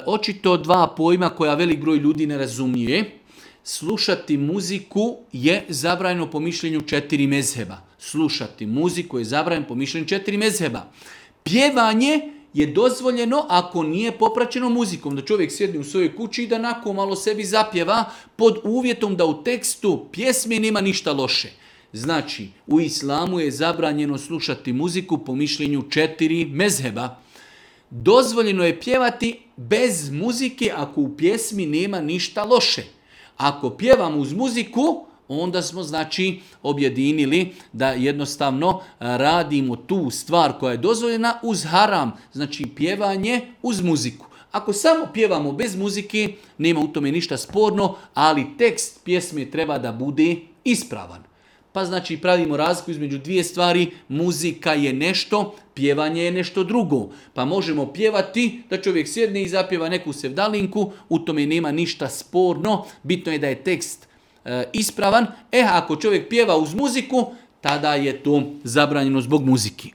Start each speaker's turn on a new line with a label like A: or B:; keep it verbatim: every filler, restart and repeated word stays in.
A: očito dva pojma koja velik broj ljudi ne razumije. Slušati muziku je zabranjeno po mišljenju četiri mezheba. Slušati muziku je zabranjeno po mišljenju četiri mezheba. Pjevanje je dozvoljeno ako nije popraćeno muzikom. Da čovjek sjedne u svojoj kući i da nakon malo sebi zapjeva pod uvjetom da u tekstu pjesme nema ništa loše. Znači, u islamu je zabranjeno slušati muziku po mišljenju četiri mezheba. Dozvoljeno je pjevati bez muzike ako u pjesmi nema ništa loše. Ako pjevamo uz muziku, onda smo znači objedinili da jednostavno radimo tu stvar koja je dozvoljena uz haram, znači pjevanje uz muziku. Ako samo pjevamo bez muzike, nema u tome ništa sporno, ali tekst pjesme treba da bude ispravan. Pa znači pravimo razliku između dvije stvari, muzika je nešto, pjevanje je nešto drugo. Pa možemo pjevati da čovjek sjedne i zapjeva neku sevdalinku, u tome nema ništa sporno, bitno je da je tekst e, ispravan. E, ako čovjek pjeva uz muziku, tada je to zabranjeno zbog muziki.